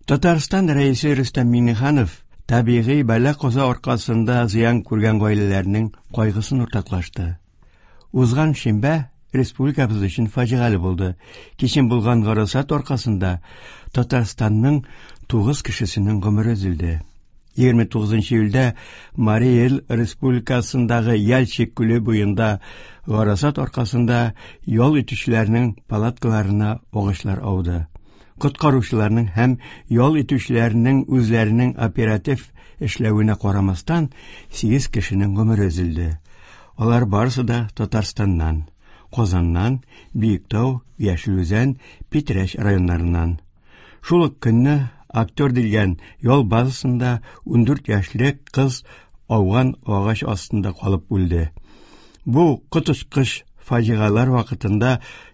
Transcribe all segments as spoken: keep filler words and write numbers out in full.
Татарстан Рәисе Рөстәм Миңнеханов табигый бәла-каза аркасында зыян күргән гаиләләрнең кайгысын уртаклашты. Узган шимбә республикабыз өчен фаҗигале булды. Кичен булган гарасат аркасында Татарстанның тугыз кешесенең гомере өзелде. егерме тугызынчы июльдә Марий Эл республикасындагы Яльчик күле буенда гарасат аркасында ял итүчеләрнең палаткаларына агачлар ауды. Коткаручыларның һәм ял итүчеләрнең үзләренең оператив эшләвенә карамастан, сигез кешенең гомере өзелде. Алар барысы да Татарстаннан, Казаннан, Биектау, Яшел Үзән, Питрәч районнарыннан. Шул ук көнне Актер дигән ял базасында ундүрт яшьлек кыз ауган агач астында калып үлде. Бу коточкыч фаҗигалар вакытында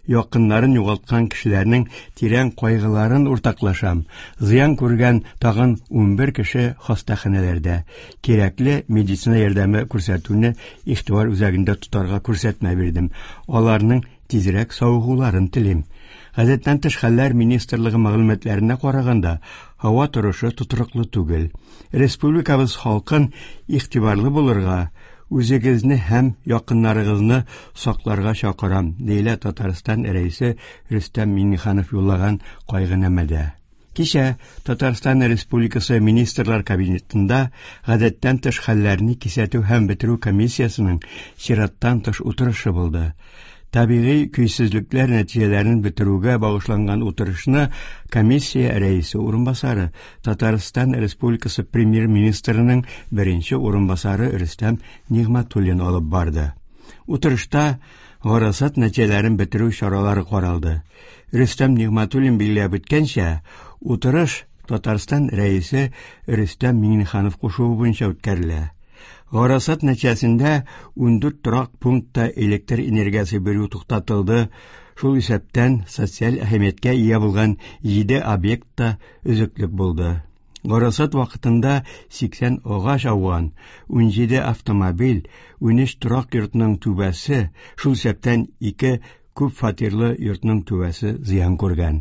якыннарын югалткан кешеләрнең тирән кайгыларын уртаклашам. Зыян күргән тагын унбер кеше хастаханәләрдә. Кирәкле медицина ярдәме күрсәтүне игътибар үзәгендә тотарга күрсәтмә бирдем. Аларның тизрәк савыгуларын телим. Гадәттән тыш хәлләр министрлыгы мәгълүматларына караганда, һава торышы тотрыклы түгел. Республикабыз халкын игътибарлы булырга, үзегезне һәм якыннарыгызны сакларга чакырам, диелә Татарстан Рәисе Рөстәм Миңнеханов юллаган кайгынамәдә. Кичә Татарстан Республикасы Министрлар Кабинетында гадәттән тыш хәлләрне кисәтү һәм бетерү комиссиясенең чираттан тыш утырышы булды. Табигый көйсезлекләр нәтиҗәләрен бетерүгә багышланган утырышны комиссия рәисе урынбасары, Татарстан Республикасы премьер-министрының беренче урынбасары Рөстәм Нигъмәтуллин алып барды. Утырышта гарасат нәтиҗәләрен бетерү чаралары каралды. Рөстәм Нигъмәтуллин билгеләп үткәнчә, утырыш Татарстан Рәисе Рөстәм Миңнеханов кушуы буенча үткәрелә. Гарасат нәтиҗәсендә ундүрт торак пунктта электр энергиясе бирү туктатылды. Шул исәптән социаль әһәмияткә ия булган җиде объектта өзеклек булды. Гарасат вакытында сиксән агач ауган, унҗиде автомобиль, унөч торак йортның түбәсе, шул исәптән ике күп фатирлы йортның түбәсе зыян күргән.